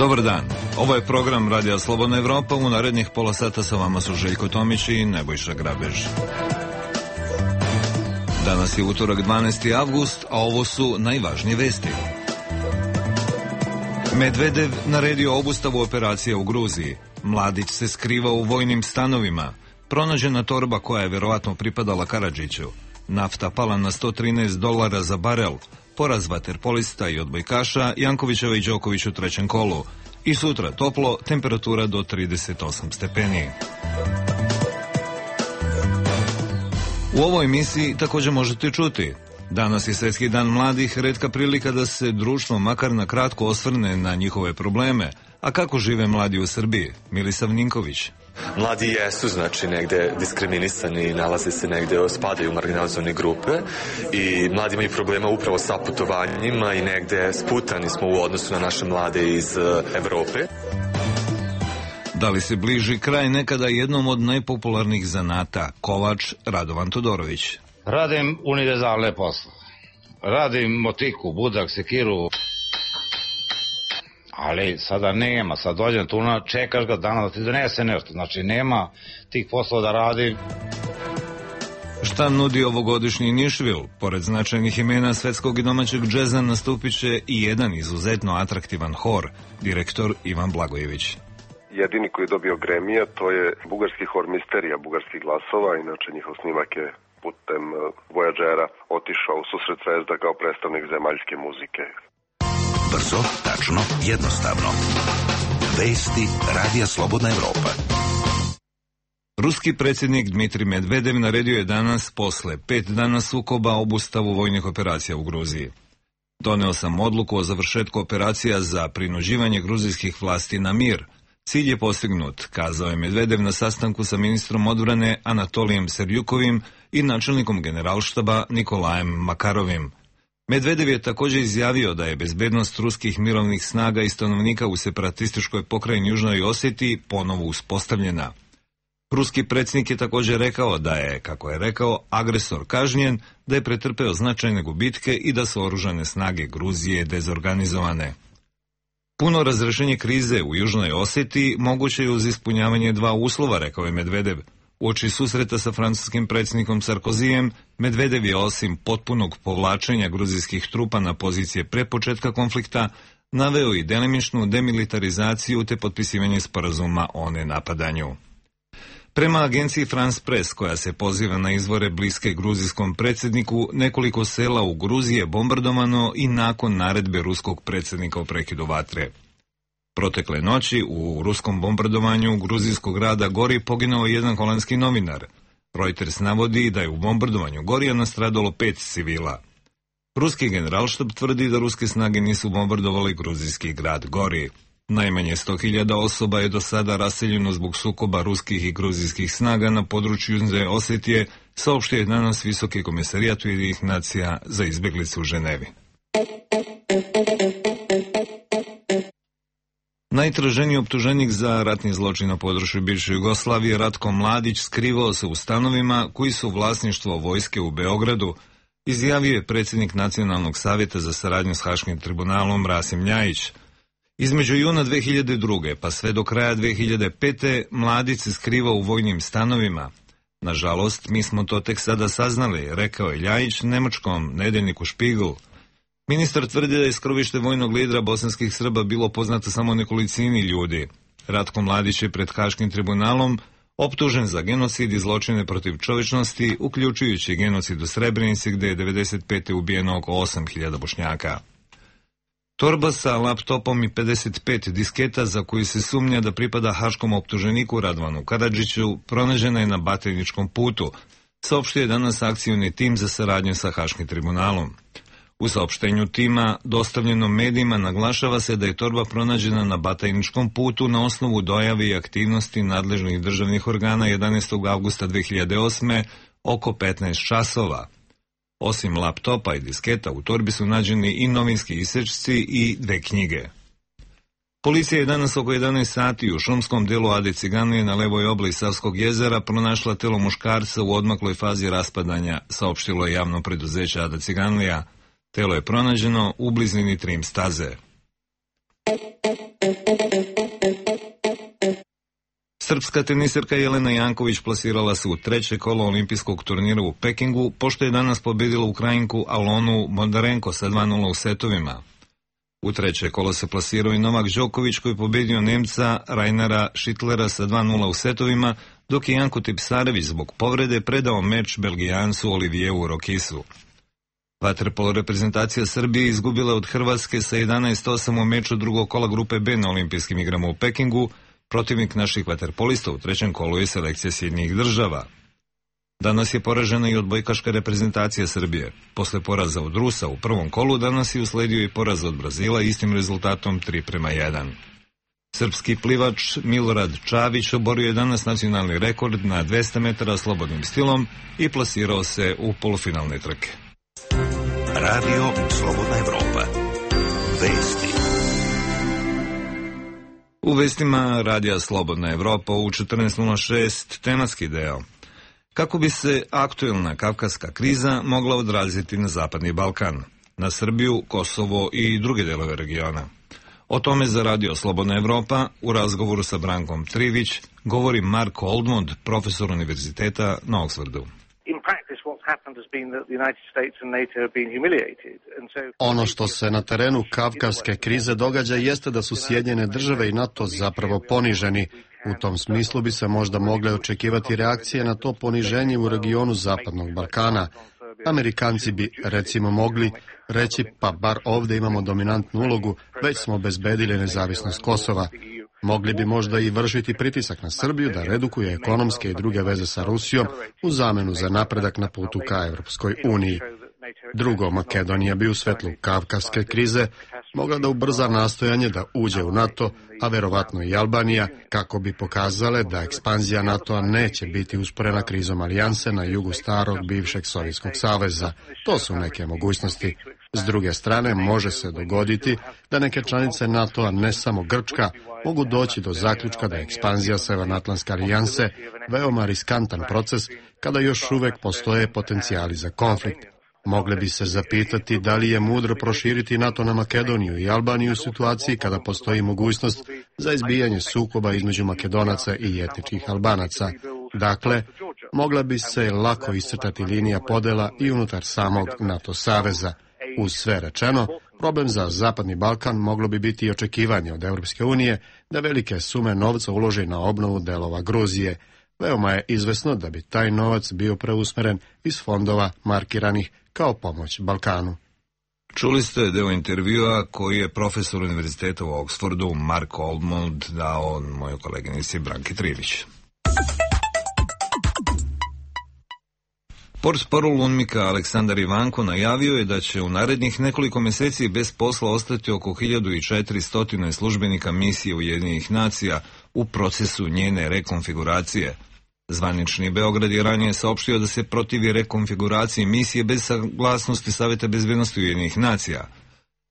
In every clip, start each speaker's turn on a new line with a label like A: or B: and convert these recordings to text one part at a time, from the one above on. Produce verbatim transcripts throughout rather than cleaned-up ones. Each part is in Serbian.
A: Dobar dan, ovo je program Radija Slobodna Evropa. U narednih pola sata sa vama su Željko Tomić i Nebojša Grabež. Danas je utorak dvanaesti avgust, a ovo su najvažnije vesti. Medvedev naredio obustavu operacije u Gruziji. Mladić se skriva u vojnim stanovima. Pronađena torba koja je verovatno pripadala Karadžiću. Nafta pala na sto trinaest dolara za barel. Poraz vaterpolista i odbojkaša Jankovićeva i Đoković u trećem kolu. I sutra toplo, temperatura do trideset osam stepeni. U ovoj emisiji također možete čuti: danas je Svjetski dan mladih, retka prilika da se društvo makar na kratko osvrne na njihove probleme. A kako žive mladi u Srbiji? Milisav Ninković.
B: Mladi jesu, znači, negde diskriminisani, nalaze se negde, spadaju u marginalizovane grupe i mladi imaju problema upravo sa putovanjima i negde sputani smo u odnosu na naše mlade iz Evrope.
A: Da li se bliži kraj nekada jednom od najpopularnih zanata, kovač Radovan Todorović?
C: Radim univerzalne posle. Radim motiku, budak, sekiru. Ali sada nema, sad dođem tu, čekaš ga dana da ti donese nešto, znači nema tih poslova da radi.
A: Šta nudi ovogodišnji Nišvil? Pored značajnih imena svetskog i domaćeg džeza nastupit će i jedan izuzetno atraktivan hor, direktor Ivan Blagojević.
D: Jedini koji je dobio Gremija, to je bugarski hor Misterija, bugarskih glasova, inače njihov snimak je putem Voyagera otišao u susret Zvezda kao predstavnik zemaljske muzike.
E: Brzo, tačno, jednostavno. Vesti Radija Slobodna Evropa.
A: Ruski predsjednik Dmitrij Medvedev naredio je danas, posle pet dana sukoba, obustavu vojnih operacija u Gruziji. Doneo sam odluku o završetku operacija za prinuđivanje gruzijskih vlasti na mir. Cilj je postignut, kazao je Medvedev na sastanku sa ministrom odbrane Anatolijem Serjukovim i načelnikom generalštaba Nikolajem Makarovim. Medvedev je također izjavio da je bezbednost ruskih mirovnih snaga i stanovnika u separatističkoj pokrajini Južnoj Oseti ponovo uspostavljena. Ruski predsjednik je također rekao da je, kako je rekao, agresor kažnjen, da je pretrpeo značajne gubitke i da su oružane snage Gruzije dezorganizovane. Puno razrešenje krize u Južnoj Oseti moguće je uz ispunjavanje dva uslova, rekao je Medvedev. Uoči susreta sa francuskim predsjednikom Sarkozijem, Medvedev je osim potpunog povlačenja gruzijskih trupa na pozicije pre početka konflikta naveo i delimičnu demilitarizaciju te potpisivanje sporazuma o nenapadanju. Prema agenciji France Press, koja se poziva na izvore bliske gruzijskom predsjedniku, nekoliko sela u Gruziji je bombardovano i nakon naredbe ruskog predsjednika o prekidu vatre. Protekle noći u ruskom bombardovanju gruzijskog grada Gori poginuo jedan holandski novinar. Reuters navodi da je u bombardovanju Gorija nastradalo pet civila. Ruski generalštab tvrdi da ruske snage nisu bombardovali gruzijski grad Gori. Najmanje sto hiljada osoba je do sada raseljeno zbog sukoba ruskih i gruzijskih snaga na području Južne Osetije, saopštio je danas Visoki komisarijat Ujedinjenih nacija za izbjeglice u Ženevi. Najtraženiji optuženik za ratni zločin na području bivše Jugoslavije, Ratko Mladić, skrivao se u stanovima koji su vlasništvo vojske u Beogradu, izjavio je predsjednik Nacionalnog savjeta za saradnju s Haškim tribunalom Rasim Ljajić. Između juna dve hiljade druge pa sve do kraja dve hiljade pete Mladić se skrivao u vojnim stanovima. Nažalost, mi smo to tek sada saznali, rekao je Ljajić nemačkom nedeljniku Spiegel. Ministar tvrdi da je skrovište vojnog lidera bosanskih Srba bilo poznato samo nekolicini ljudi. Ratko Mladić je pred Haškim tribunalom optužen za genocid i zločine protiv čovječnosti, uključujući genocid u Srebrenici gdje je devedeset pete ubijeno oko osam hiljada Bošnjaka. Torba sa laptopom i pedeset pet disketa za koju se sumnja da pripada haškom optuženiku Radovanu Karadžiću pronađena je na Batajničkom putu, saopštio je danas akcioni tim za saradnju sa Haškim tribunalom. U saopštenju tima, dostavljenom medijima, naglašava se da je torba pronađena na Batajničkom putu na osnovu dojave i aktivnosti nadležnih državnih organa jedanaestog avgusta dve hiljade osme oko petnaest časova. Osim laptopa i disketa, u torbi su nađeni i novinski isečci i dve knjige. Policija je danas oko jedanaest sati u šumskom delu Ade Ciganlije na levoj obali Savskog jezera pronašla telo muškarca u odmakloj fazi raspadanja, saopštilo je javno preduzeće Ada Ciganlija. Telo je pronađeno u blizini Trim staze. Srpska teniserka Jelena Janković plasirala se u treće kolo olimpijskog turnira u Pekingu, pošto je danas pobedila Ukrajinku Alonu Bondarenko sa dva nula u setovima. U treće kolo se plasirao i Novak Đoković koji je pobedio Nemca Rainera Schittlera sa dva nula u setovima, dok je Janko Tipsarević zbog povrede predao meč Belgijancu Olivieru Rokisu. Vaterpolo reprezentacija Srbije izgubila od Hrvatske sa jedanaest osam u meču drugog kola grupe B na olimpijskim igrama u Pekingu. Protivnik naših vaterpolista u trećem kolu je selekcija Sjedinjenih država. Danas je poražena i odbojkaška reprezentacija Srbije. Posle poraza od Rusa u prvom kolu danas je usledio i poraz od Brazila istim rezultatom tri prema jedan. Srpski plivač Milorad Čavić oborio je danas nacionalni rekord na dvesta metara slobodnim stilom i plasirao se u polufinalne trke.
E: Radio Slobodna Evropa. Vesti.
A: U vestima Radija Slobodna Evropa u četrnaest nula šest tematski deo. Kako bi se aktuelna kavkaska kriza mogla odraziti na Zapadni Balkan, na Srbiju, Kosovo i druge delove regiona? O tome za Radio Slobodna Evropa u razgovoru sa Brankom Trivić govori Mark Oldmond, profesor univerziteta na Oxfordu.
F: Ono što se na terenu kavkaske krize događa jeste da su Sjedinjene države i NATO zapravo poniženi. U tom smislu bi se možda mogle očekivati reakcije na to poniženje u regionu Zapadnog Balkana. Amerikanci bi, recimo, mogli reći pa bar ovdje imamo dominantnu ulogu, već smo obezbedili nezavisnost Kosova. Mogli bi možda i vršiti pritisak na Srbiju da redukuje ekonomske i druge veze sa Rusijom u zamenu za napredak na putu ka Evropskoj uniji. Drugo, Makedonija bi u svetlu kavkaske krize mogla da ubrza nastojanje da uđe u NATO, a verovatno i Albanija, kako bi pokazale da ekspanzija NATO-a neće biti usporena krizom alijanse na jugu starog bivšeg Sovjetskog saveza. To su neke mogućnosti. S druge strane, može se dogoditi da neke članice NATO-a, ne samo Grčka, mogu doći do zaključka da je ekspanzija Severnoatlantske alijanse veoma riskantan proces kada još uvek postoje potencijali za konflikt. Mogle bi se zapitati da li je mudro proširiti NATO na Makedoniju i Albaniju u situaciji kada postoji mogućnost za izbijanje sukoba između Makedonaca i etničkih Albanaca. Dakle, mogla bi se lako iscrtati linija podela i unutar samog NATO saveza. Uz sve rečeno, problem za Zapadni Balkan moglo bi biti i očekivanje od Europske unije da velike sume novca uloži na obnovu delova Gruzije. Veoma je izvesno da bi taj novac bio preusmeren iz fondova markiranih kao pomoć Balkanu.
A: Čuli ste deo intervjua koji je profesor univerziteta u Oxfordu Mark Oldmond dao mojoj koleginici Branki Trivić. Portparol UNMIK-a Aleksandar Ivanko najavio je da će u narednih nekoliko meseci bez posla ostati oko hiljadu četiristo službenika misije Ujedinjenih nacija u procesu njene rekonfiguracije. Zvanični Beograd je ranije saopštio da se protivi rekonfiguraciji misije bez saglasnosti Saveta bezbednosti Ujedinjenih nacija.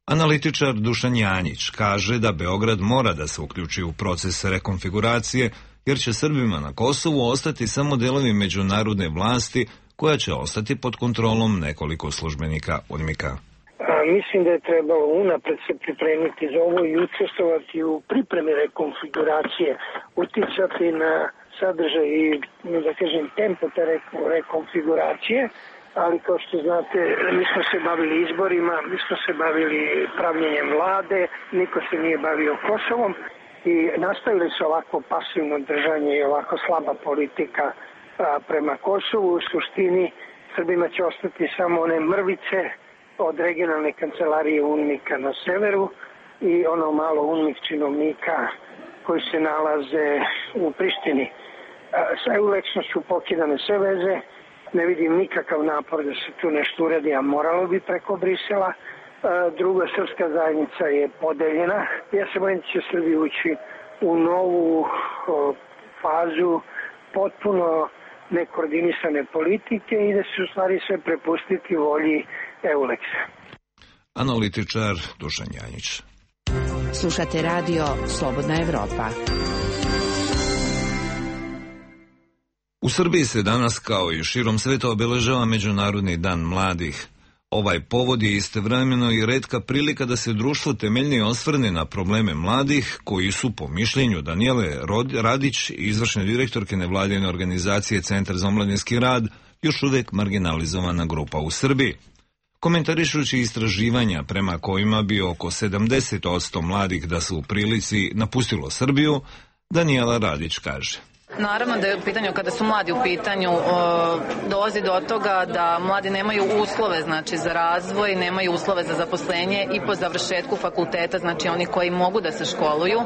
A: Analitičar Dušan Janjić kaže da Beograd mora da se uključi u proces rekonfiguracije, jer će Srbima na Kosovu ostati samo delovi međunarodne vlasti koja će ostati pod kontrolom nekoliko službenika UNMIK-a.
G: Mislim da je trebalo unapred se pripremiti za ovo i učestvovati u pripremi rekonfiguracije, uticati na sadržaj i, da kažem, tempo te rekonfiguracije, ali kao što znate, mi smo se bavili izborima, mi smo se bavili pravljenjem vlade, niko se nije bavio Kosovom i nastavili su ovako pasivno držanje i ovako slaba politika a, prema Kosovu. U suštini Srbima će ostati samo one mrvice od regionalne kancelarije UNMIK-a na severu i ono malo UNMIK činovnika koji se nalaze u Prištini. Sa eulečnošću pokidane sve veze, ne vidim nikakav napor da se tu nešto uredi, a moralo bi preko Brisela. Druga, srpska zajednica je podeljena. Ja se bojim da će Srbija ući u novu fazu potpuno nekoordinisane politike i da se u stvari sve prepustiti volji Euleksa.
A: Analitičar Dušan Janjić.
H: Slušate radio Slobodna Evropa. U
A: Srbiji se danas, kao i širom sveta, obeležava Međunarodni dan mladih. Ovaj povod je istovremeno i retka prilika da se društvo temeljnije osvrne na probleme mladih, koji su, po mišljenju Danijele Radić, izvršne direktorke nevladine organizacije Centar za omladinski rad, još uvek marginalizovana grupa u Srbiji. Komentarišući istraživanja prema kojima bi oko sedamdeset posto mladih da su u prilici napustilo Srbiju, Danijela Radić kaže:
I: Naravno da je u pitanju, kada su mladi u pitanju, dolazi do toga da mladi nemaju uslove, znači, za razvoj, nemaju uslove za zaposlenje i po završetku fakulteta, znači oni koji mogu da se školuju,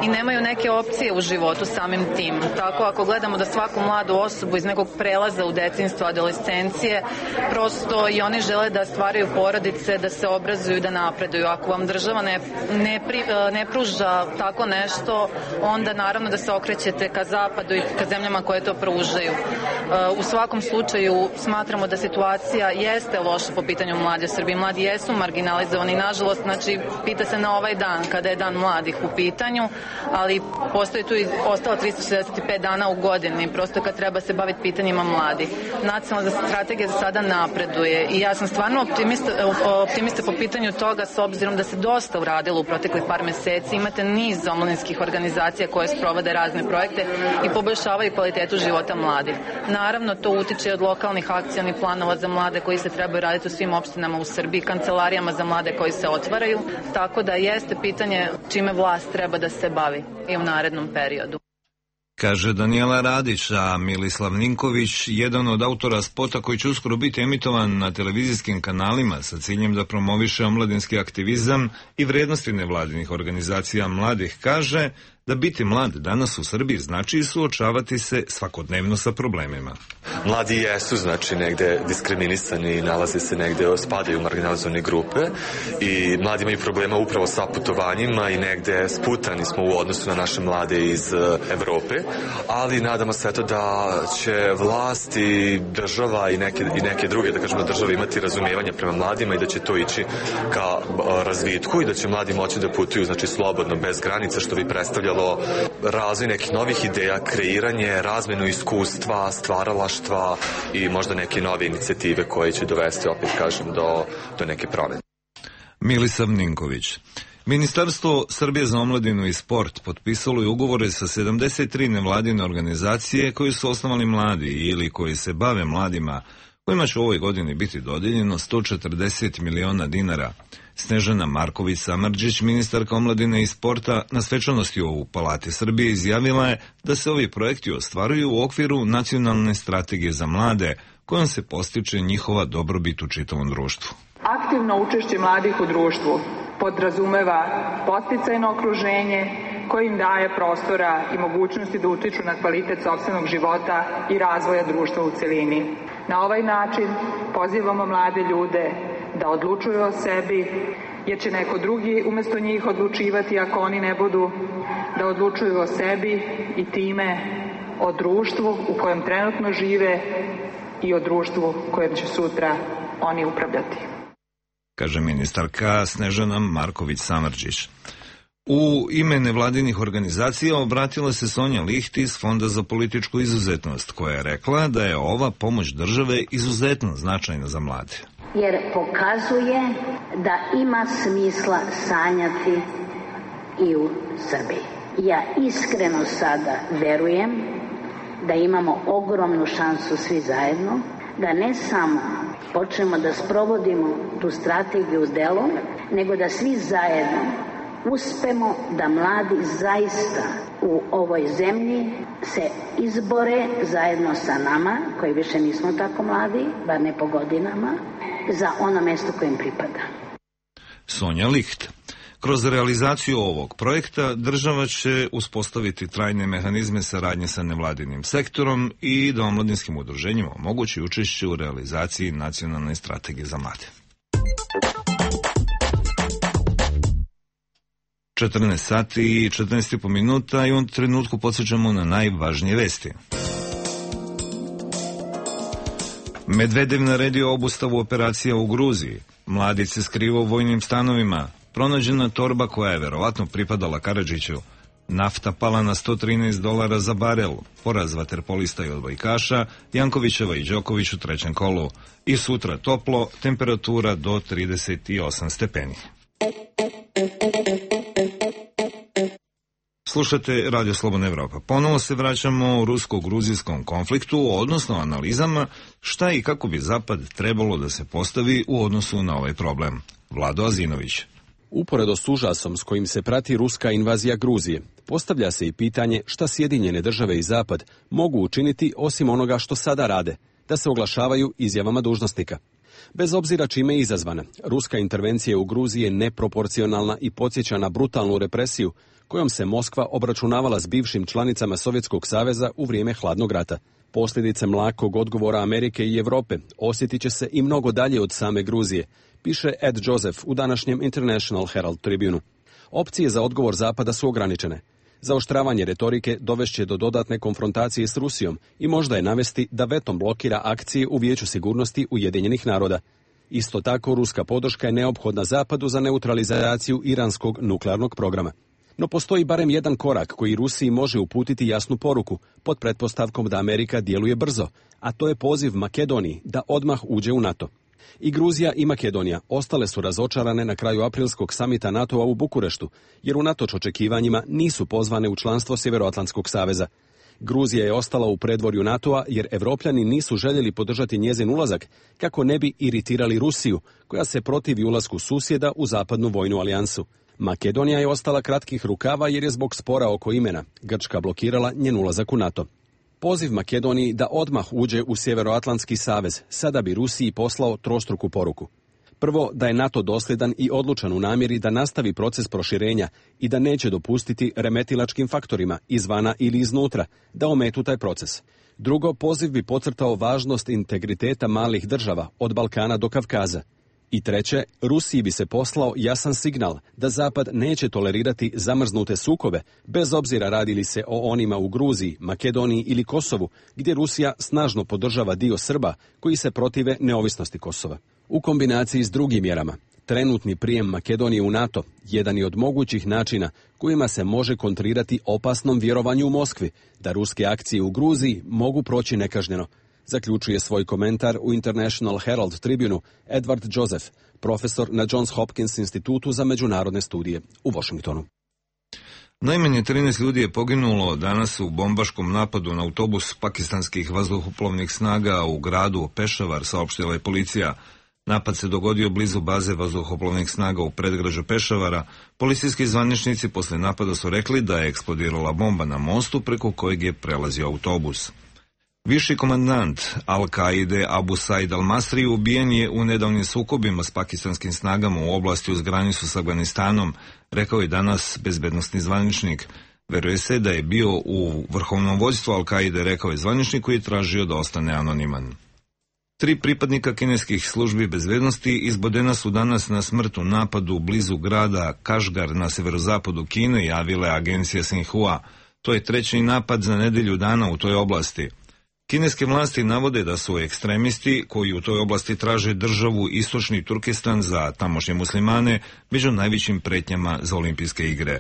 I: i nemaju neke opcije u životu samim tim. Tako, ako gledamo da svaku mladu osobu iz nekog prelaza u detinjstvo, adolescencije, prosto i oni žele da stvaraju porodice, da se obrazuju, da napreduju. Ako vam država ne, ne, pri, ne pruža tako nešto, onda naravno da se okrećete ka zapadu i ka zemljama koje to pružaju. U svakom slučaju smatramo da situacija jeste loša po pitanju mladih u Srbiji. Mladi jesu marginalizovani, nažalost, znači, pita se na ovaj dan, kada je dan mladih u pitanju, ali postoji tu i ostalo trista šezdeset pet dana u godini, prosto kad treba se baviti pitanjima mladih. Nacionalna strategija za sada napreduje i ja sam stvarno optimista, optimista po pitanju toga, s obzirom da se dosta uradilo u proteklih par meseci. Imate niz omladinskih organizacija koje sprovode razne projekte i poboljšavaju kvalitetu života mladih. Naravno, to utiče od lokalnih akcionih planova za mlade koji se trebaju raditi u svim opštinama u Srbiji, kancelarijama za mlade koji se otvaraju, tako da jeste pitanje čime vlast treba da se bavi i u narednom periodu.
A: Kaže Danijela Radić, a Milislav Ninković, jedan od autora spota koji će uskoro biti emitovan na televizijskim kanalima sa ciljem da promoviše omladinski aktivizam i vrednosti nevladinih organizacija mladih, kaže da biti mlad danas u Srbiji znači suočavati se svakodnevno sa problemima.
B: Mladi jesu, znači, negde diskriminisani, nalaze se negde, spadaju u marginalizovane grupe i mladi imaju problema upravo sa putovanjima i negde sputani smo u odnosu na naše mlade iz Evrope, ali nadamo se eto da će vlast i država i neke, i neke druge, da kažemo, države imati razumijevanje prema mladima i da će to ići ka razvitku i da će mladi moći da putuju, znači, slobodno, bez granica, što bi predstavljalo razvoj nekih novih ideja, kreiranje, razmenu iskustva, stvaralaštva i možda neke nove inicijative koje će dovesti, opet kažem, do, do neke promene.
A: Milisav Ninković. Ministarstvo Srbije za omladinu i sport potpisalo je ugovore sa sedamdeset tri nevladine organizacije koje su osnovali mladi ili koji se bave mladima, kojima će u ovoj godini biti dodijeljeno sto četrdeset miliona dinara. Snežana Marković Samardžić, ministarka omladine i sporta, na svečanosti u Palati Srbije izjavila je da se ovi projekti ostvaruju u okviru nacionalne strategije za mlade, kojom se postiče njihova dobrobit u čitavom društvu.
J: Aktivno učešće mladih u društvu podrazumeva podsticajno okruženje koje im daje prostora i mogućnosti da utiču na kvalitet sopstvenog života i razvoja društva u celini. Na ovaj način pozivamo mlade ljude da odlučuju o sebi, jer će neko drugi umesto njih odlučivati ako oni ne budu, da odlučuju o sebi i time o društvu u kojem trenutno žive i o društvu kojem će sutra oni upravljati.
A: Kaže ministarka Snežana Marković Samardžić. U ime nevladinih organizacija obratila se Sonja Liht iz Fonda za političku izuzetnost, koja je rekla da je ova pomoć države izuzetno značajna za mlade.
K: Jer pokazuje da ima smisla sanjati i u Srbiji. Ja iskreno sada verujem da imamo ogromnu šansu svi zajedno, da ne samo počnemo da sprovodimo tu strategiju u delu, nego da svi zajedno uspemo da mladi zaista u ovoj zemlji se izbore zajedno sa nama, koji više nismo tako mladi, bar ne po godinama, za ono mesto kojim pripada.
A: Sonja Liht. Kroz realizaciju ovog projekta država će uspostaviti trajne mehanizme saradnje sa nevladinim sektorom i da omladinskim udruženjima omogući učešće u realizaciji nacionalne strategije za mlade. četrnaest sati i četrnaest i po minuta i u ovom trenutku podsjećamo na najvažnije vesti. Medvedev naredio obustavu operacija u Gruziji. Mladić se skriva u vojnim stanovima. Pronađena torba koja je verovatno pripadala Karadžiću. Nafta pala na sto trinaest dolara za barel. Poraz vaterpolista i odbojkaša Jankovićeva i Đoković u trećem kolu. I sutra toplo, temperatura do trideset osam stepeni. Slušate Radio Slobodna Evropa. Ponovo se vraćamo u rusko-gruzijskom konfliktu, odnosno analizama šta i kako bi Zapad trebalo da se postavi u odnosu na ovaj problem. Vlado Azinović.
L: Uporedo s užasom s kojim se prati ruska invazija Gruzije, postavlja se i pitanje šta Sjedinjene države i Zapad mogu učiniti osim onoga što sada rade, da se oglašavaju izjavama dužnosnika. Bez obzira čime je izazvana, ruska intervencija u Gruziji je neproporcionalna i podsjeća na brutalnu represiju kojom se Moskva obračunavala s bivšim članicama Sovjetskog saveza u vrijeme hladnog rata. Posljedice mlakog odgovora Amerike i Europe osjetit će se i mnogo dalje od same Gruzije, piše Ed Joseph u današnjem International Herald Tribune. Opcije za odgovor Zapada su ograničene. Zaoštravanje retorike dovešće do dodatne konfrontacije s Rusijom i možda je navesti da vetom blokira akcije u Vijeću sigurnosti Ujedinjenih naroda. Isto tako, ruska podrška je neophodna Zapadu za neutralizaciju iranskog nuklearnog programa. No postoji barem jedan korak koji Rusiji može uputiti jasnu poruku, pod pretpostavkom da Amerika djeluje brzo, a to je poziv Makedoniji da odmah uđe u NATO. I Gruzija i Makedonija ostale su razočarane na kraju aprilskog samita NATO-a u Bukureštu, jer unatoč očekivanjima nisu pozvane u članstvo Sjevernoatlantskog saveza. Gruzija je ostala u predvorju NATO-a jer Evropljani nisu željeli podržati njezin ulazak kako ne bi iritirali Rusiju, koja se protivi ulasku susjeda u zapadnu vojnu alijansu. Makedonija je ostala kratkih rukava jer je zbog spora oko imena Grčka blokirala njen ulazak u NATO. Poziv Makedoniji da odmah uđe u Sjevernoatlantski savez sada bi Rusiji poslao trostruku poruku. Prvo, da je NATO dosljedan i odlučan u namjeri da nastavi proces proširenja i da neće dopustiti remetilačkim faktorima izvana ili iznutra da ometu taj proces. Drugo, poziv bi podcrtao važnost integriteta malih država od Balkana do Kavkaza. I treće, Rusiji bi se poslao jasan signal da Zapad neće tolerirati zamrznute sukobe, bez obzira radi li se o onima u Gruziji, Makedoniji ili Kosovu, gdje Rusija snažno podržava dio Srba koji se protive neovisnosti Kosova. U kombinaciji s drugim mjerama, trenutni prijem Makedonije u NATO jedan je od mogućih načina kojima se može kontrirati opasnom vjerovanju u Moskvi da ruske akcije u Gruziji mogu proći nekažnjeno, zaključuje svoj komentar u International Herald Tribune Edward Joseph, profesor na Johns Hopkins institutu za međunarodne studije u Washingtonu.
A: Najmanje trinaest ljudi je poginulo danas u bombaškom napadu na autobus pakistanskih vazduhoplovnih snaga u gradu Pešavar, saopštila je policija. Napad se dogodio blizu baze vazduhoplovnih snaga u predgrađu Pešavara. Policijski zvaničnici posle napada su rekli da je eksplodirala bomba na mostu preko kojeg je prelazio autobus. Viši komandant Al-Kaide Abu Said al-Masri ubijen je u nedavnim sukobima s pakistanskim snagama u oblasti uz granicu s Afganistanom, rekao je danas bezbednosni zvaničnik. Veruje se da je bio u vrhovnom vođstvu Al-Kaide, rekao je zvaničnik koji je tražio da ostane anoniman. Tri pripadnika kineskih službi bezbednosti izbodena su danas na smrt u napadu blizu grada Kašgar na severozapadu Kine, javile agencija Xinhua. To je treći napad za nedelju dana u toj oblasti. Kineske vlasti navode da su ekstremisti koji u toj oblasti traže državu Istočni Turkestan za tamošnje muslimane među najvećim pretnjama za olimpijske igre.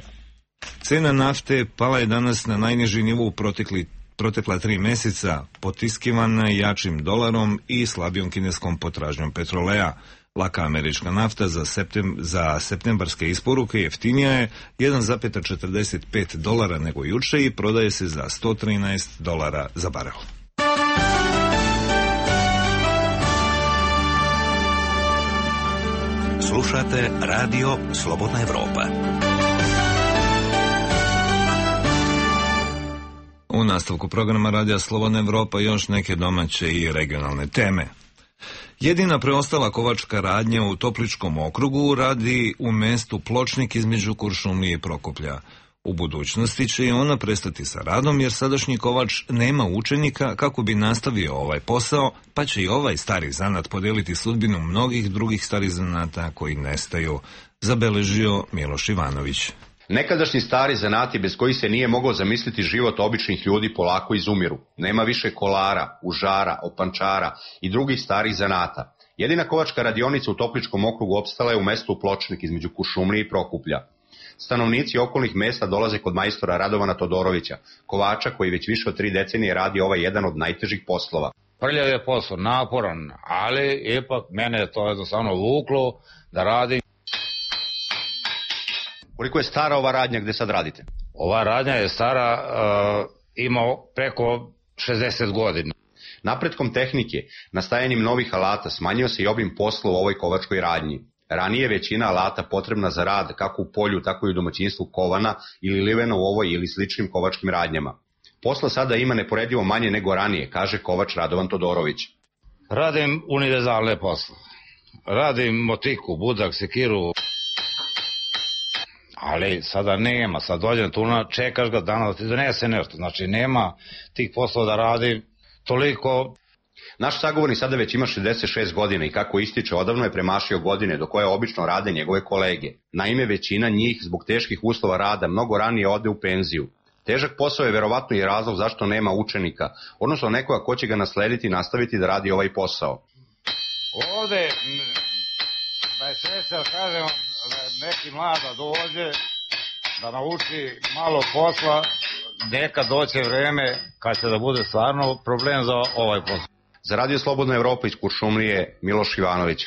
A: Cena nafte pala je danas na najniži nivo u protekli, protekla tri meseca, potiskivana jačim dolarom i slabijom kineskom potražnjom petroleja. Laka američka nafta za, septem, za septembarske isporuke jeftinija je jedan zarez četrdeset pet dolara nego juče i prodaje se za sto trinaest dolara za barel.
E: Slušate Radio Slobodna Evropa.
A: U nastavku programa Radija Slobodna Evropa još neke domaće i regionalne teme. Jedina preostala kovačka radnja u Topličkom okrugu radi u mestu Pločnik između Kuršumlije i Prokuplja. U budućnosti će i ona prestati sa radom jer sadašnji kovač nema učenika kako bi nastavio ovaj posao, pa će i ovaj stari zanat podeliti sudbinu mnogih drugih starih zanata koji nestaju, zabeležio Miloš Ivanović.
M: Nekadašnji stari zanati bez kojih se nije mogao zamisliti život običnih ljudi polako izumiru. Nema više kolara, užara, opančara i drugih starih zanata. Jedina kovačka radionica u Topličkom okrugu opstala je u mestu Pločnik između Kuršumlije i Prokuplja. Stanovnici okolnih mesta dolaze kod majstora Radovana Todorovića, kovača koji već više od tri decenije radi ovaj jedan od najtežih poslova.
C: Prljav je posao, naporan, ali ipak mene je to jednostavno vuklo da radim.
M: Koliko je stara ova radnja gde sad radite?
C: Ova radnja je stara, uh, ima preko šezdeset godina.
M: Napretkom tehnike, nastajanjem novih alata smanjio se i obim posla u ovoj kovačkoj radnji. Ranije većina alata potrebna za rad kako u polju, tako i u domaćinstvu kovana ili livena u ovoj ili sličnim kovačkim radnjama. Posla sada ima neporedivo manje nego ranije, kaže kovač Radovan Todorović.
C: Radim univerzalne posle. Radim motiku, budak, sekiru, ali sada nema. Sad dođem tu, čekaš ga dana da ti donese nešto. Znači nema tih poslova da radim toliko.
M: Naš sagovornik sada već ima šezdeset šest godina i kako ističe, odavno je premašio godine do koje obično rade njegove kolege. Naime, većina njih zbog teških uslova rada mnogo ranije ode u penziju. Težak posao je verovatno i razlog zašto nema učenika, odnosno nekoga ko će ga naslediti i nastaviti da radi ovaj posao.
C: Ovde, da je sreća, kažem, da neki mlada dođe, da nauči malo posla, neka doće vreme kad će da bude stvarno problem za ovaj posao.
M: Za Radio Slobodna Evropa iz Kuršumlije, Miloš Ivanović.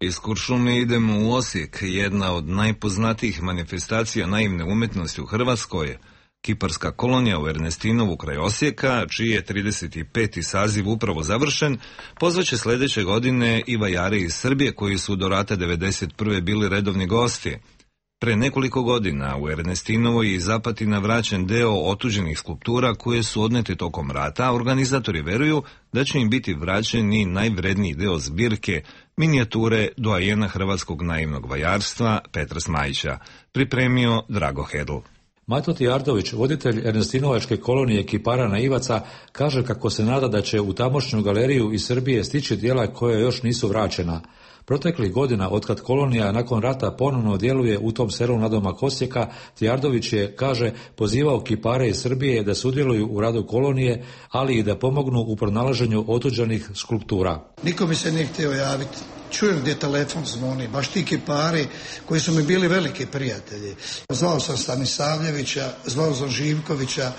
A: Iz Kuršumlije idemo u Osijek, jedna od najpoznatijih manifestacija naivne umetnosti u Hrvatskoj, kiparska kolonija u Ernestinovu kraj Osijeka, čiji je trideset peti saziv upravo završen, pozvaće sledeće godine i vajare iz Srbije koji su do rata devedeset prve bili redovni gosti. Pre nekoliko godina u Ernestinovoj i Zapatina vraćen deo otuđenih skulptura koje su odnete tokom rata, a organizatori veruju da će im biti vraćen i najvredniji deo zbirke, minijature doajena hrvatskog naivnog vajarstva Petra Smajića, pripremio Drago Hedl.
N: Mato Tijardović, voditelj Ernestinovačke kolonije kipara naivaca, kaže kako se nada da će u tamošnju galeriju iz Srbije stići dijela koja još nisu vraćena. Proteklih godina, otkad kolonija nakon rata ponovno djeluje u tom selu nadomak Osijeka, Tijardović je, kaže, pozivao kipare iz Srbije da sudjeluju u radu kolonije, ali i da pomognu u pronalaženju otuđenih skulptura.
O: Niko mi se nije htio javiti. Čujem gdje telefon zvoni, baš ti kipari koji su mi bili veliki prijatelji. Zvao sam Stanisavljevića, zvao sam Živkovića,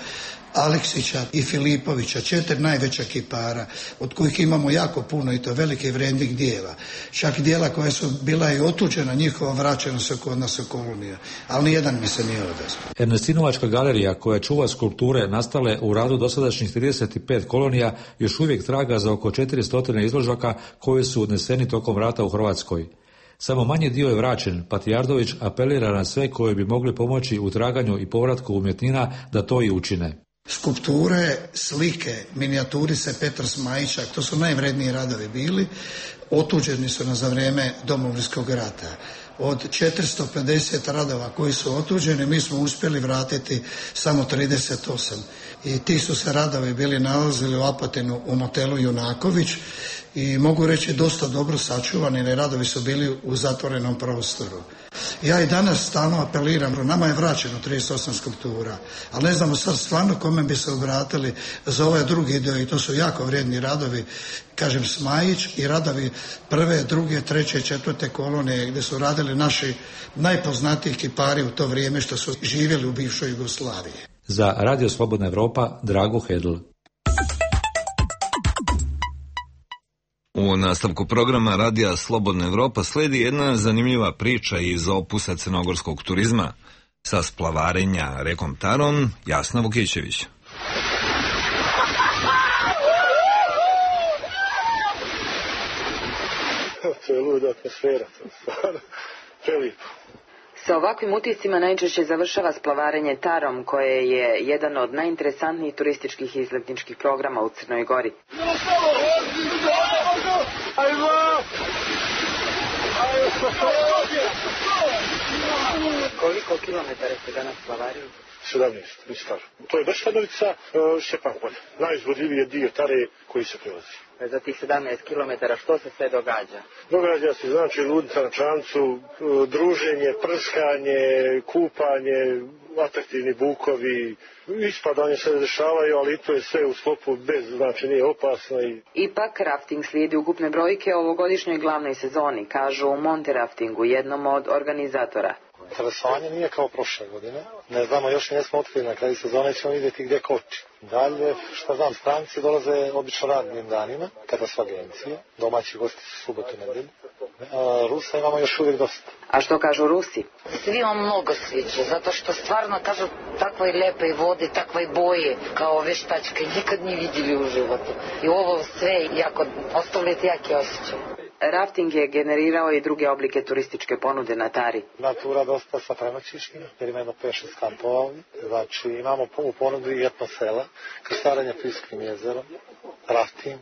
O: Aleksića i Filipovića, četiri najveća kipara, od kojih imamo jako puno i to velike vrijednih dijela. Čak dijela koja su bila i otuđena, njihova vraćena su kod nas u kolonija, ali nijedan mi se nije odazvao.
N: Ernestinovačka galerija, koja čuva skulpture nastale u radu dosadašnjih trideset pet kolonija, još uvijek traga za oko četiristo izložaka koji su odneseni tokom rata u Hrvatskoj. Samo manji dio je vraćen, pa Tijardović apelira na sve koji bi mogli pomoći u traganju i povratku umjetnina da to i učine.
O: Skulpture, slike, minijaturice Petra Smajića, to su najvredniji radovi bili, otuđeni su na za vrijeme Domovinskog rata. Od četiristo pedeset radova koji su otuđeni, mi smo uspjeli vratiti samo trideset osam. I ti su se radovi bili nalazili u Apatinu u motelu Junaković i mogu reći dosta dobro sačuvani, jer radovi su bili u zatvorenom prostoru. Ja i danas stalno apeliram, nama je vraćeno trideset osam skulptura, ali ne znamo sad stvarno kome bi se obratili za ovaj drugi dio i to su jako vrijedni radovi, kažem Smajić i radovi prve, druge, treće, četvrte kolonije gdje su radili naši najpoznatiji kipari u to vrijeme što su živjeli u bivšoj Jugoslaviji.
N: Za Radio Slobodna Evropa, Drago Hedl.
A: U nastavku programa Radija Slobodna Evropa sledi jedna zanimljiva priča iz opusa crnogorskog turizma. Sa splavarenja rekom Tarom, Jasna Vukićević.
P: To je luda atmosfera, to stvarno prelijepo.
Q: Sa ovakvim utiscima najčešće završava splavarenje Tarom, koje je jedan od najinteresantnijih turističkih i izletničkih programa u Crnoj Gori. Koliko kilometara se danas splavariju?
P: sedamnaest, Mistar. To je Bešanovica, Šćepan polje. Najizvodljiviji dio Tare koji se prelazi.
Q: Za tih sedamnaest kilometara što se sve događa?
P: Događa se, znači, ludnica na čamcu, druženje, prskanje, kupanje, atraktivni bukovi, ispadanje se dešavaju, ali to je sve u sklopu bez, znači nije opasno. I...
Q: Ipak, rafting slijedi ukupne brojke o ovogodišnjoj glavnoj sezoni, kažu u Monte Raftingu, jednom od organizatora.
R: Interesovanje nije kao prošle godine. Ne znamo, još nismo otkrili, na kraju sezone ćemo vidjeti gdje koči. Dalje, što znam, stranci dolaze obično radnim danima, kada su agencije. Domaći gosti su subotu i nedelju. Rusa imamo još uvijek dosta.
Q: A što kažu Rusi?
S: Svima mnogo sviđa, zato što stvarno, kažu, takve lepe vode, takve boje, kao veštačke, nikad nije vidjeli u životu. I ovo sve jako, ostavljate jaki osjećaj.
Q: Rafting je generirao i druge oblike turističke ponude na Tari.
R: Natura dosta sa prenoćištima, jer ima jedno pet šest kampova ovdje. Znači imamo u ponudi i etno sela, krstarenje Priskim jezerom, rafting,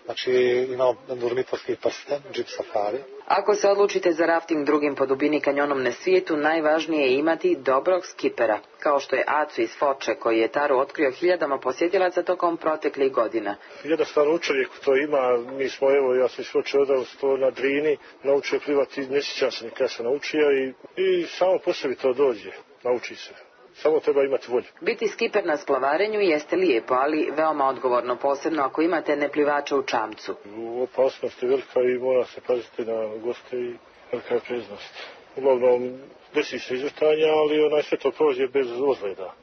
R: znači imamo Durmitorski prsten, džip safari.
Q: Ako se odlučite za rafting drugim po dubini kanjonom na svijetu, najvažnije je imati dobrog skipera, kao što je Acu iz Foče, koji je Taru otkrio hiljadama posjetilaca tokom proteklih godina.
P: Jednostavno čovjek to ima, mi smo, evo, ja sam iz Foče odao sto na Drini, naučio plivati, ne sjećam se nikada sam naučio i, i samo po sebi to dođe, nauči se. Samo treba imati volju.
Q: Biti skiper na splavarenju jeste lijepo, ali veoma odgovorno, posebno ako imate neplivača u čamcu.
P: Opasnost je velika i mora se paziti na goste i velika je preznost. Uglavnom, desi se izvrtanja, ali onaj sve to prođe bez ozljeda.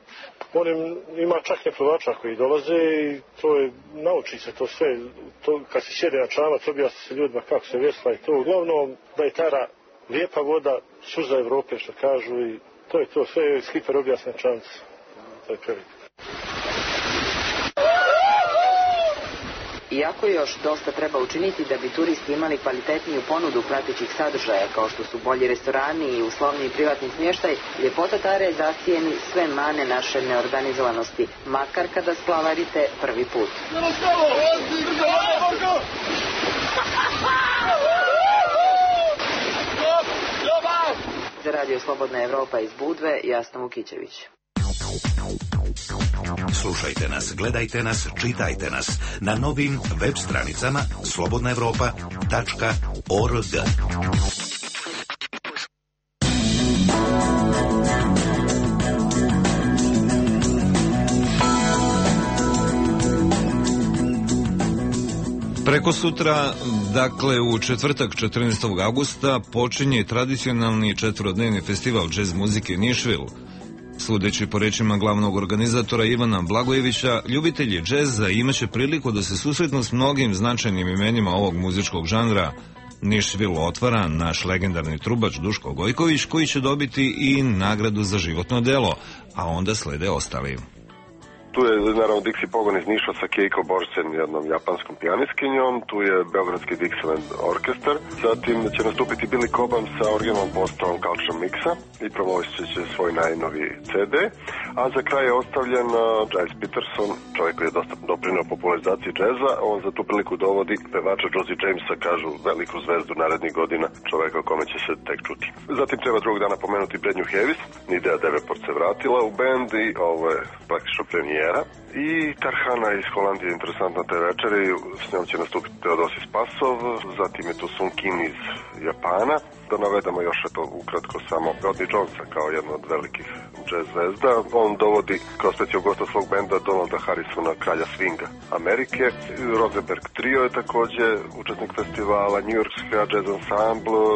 P: Onim, ima čak neplivača koji dolaze i to je, nauči se to sve. To, kad se sjede na čamac, objasni se ljudima kako se vesla i to. Uglavnom, da je Tara lijepa voda, suza Evrope, što kažu, i to je to, sve je skiper objasne čamce. To je preliko.
Q: Iako još dosta treba učiniti da bi turisti imali kvalitetniju ponudu pratećih sadržaja, kao što su bolji restorani i uslovniji privatni smještaj, ljepota Tare zasijeni sve mane naše neorganizovanosti, makar kada splavarite prvi put. Za Radio Slobodna Evropa iz Budve, Jasna Vukićević.
E: Slušajte nas, gledajte nas, čitajte nas na novim web stranicama slobodna evropa tačka org.
A: Preko sutra, dakle u četvrtak četrnaestog augusta, počinje tradicionalni četvorodnevni festival džez muzike Nišvil. Sudeći po rečima glavnog organizatora Ivana Blagojevića, ljubitelji džeza imaće priliku da se susretnu s mnogim značajnim imenima ovog muzičkog žanra. Nišvil otvara naš legendarni trubač Duško Gojković, koji će dobiti i nagradu za životno delo, a onda slede ostali.
D: Tu je naravno Dixie Pogon iz Niša sa Keiko Borsen, jednom japanskom pijaniskinjom, tu je Beogradski Dixieland orkestar, zatim će nastupiti Billy Cobham sa originalnom postavom Culture Mixa i promovisit će svoj najnoviji ce de, a za kraj je ostavljen Giles Peterson, čovjek koji je dosta doprinio popularizaciji džeza. On za tu priliku dovodi pevača Josie Jamesa, kažu veliku zvezdu narednih godina, čovjeka o kome će se tek čuti. Zatim treba drugog dana pomenuti Brednju Heavis, Nidea Davenport se vratila u bend i ovo je praktično premijer. I Tarhana iz Holandije je interesantna te večeri, s njom će nastupiti Teodosis Pasov, zatim je tu Sun Kim iz Japana. Da navedemo još eto ukratko samo Rodney Jonesa kao jedno od velikih jazz zvezda. On dovodi kao specijalnog gosta svog benda Donalda Harrisona, kralja swinga Amerike. Rosenberg Trio je također učesnik festivala, New Yorkska jazz ensemble,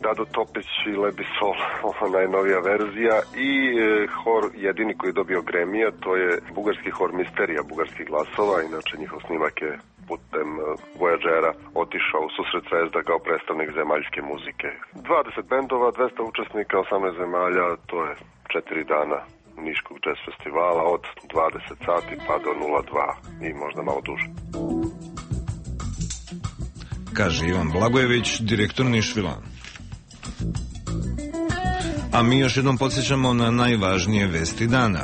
D: Dado Topić i Lady Soul, ova najnovija verzija, i e, hor jedini koji je dobio Grammy-a, to je bugarski hor Misterija bugarskih glasova, inače njihov snimak je putem e, Voyagera otišao u susret zvezda kao predstavnik zemaljske muzike. dvadeset bendova, dvesta učesnika, osamnaest zemalja, to je četiri dana Niškog jazz festivala od dvadeset sati pa do nula dva i možda malo duže.
A: Kaže Ivan Blagojević, direktor Nišvila. A mi još jednom podsjećamo na najvažnije vesti dana.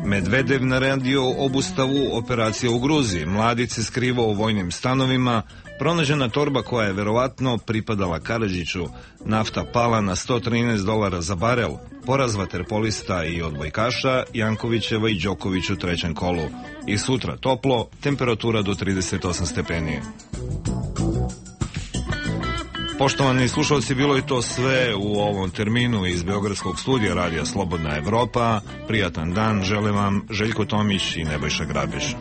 A: Medvedev naredio obustavu operacije u Gruziji. Mladić se skrivao u vojnim stanovima. Pronađena torba koja je verovatno pripadala Karadžiću. Nafta pala na sto trinaest dolara za barel. poraz vaterpolista i odbojkaša Jankovićeva i Đoković u trećem kolu. I sutra toplo, temperatura do trideset osam stepeni. Poštovani slušalci, bilo je to sve u ovom terminu iz Beogradskog studija Radija Slobodna Evropa. Prijatan dan, želim vam Željko Tomić i Nebojša Grabiš.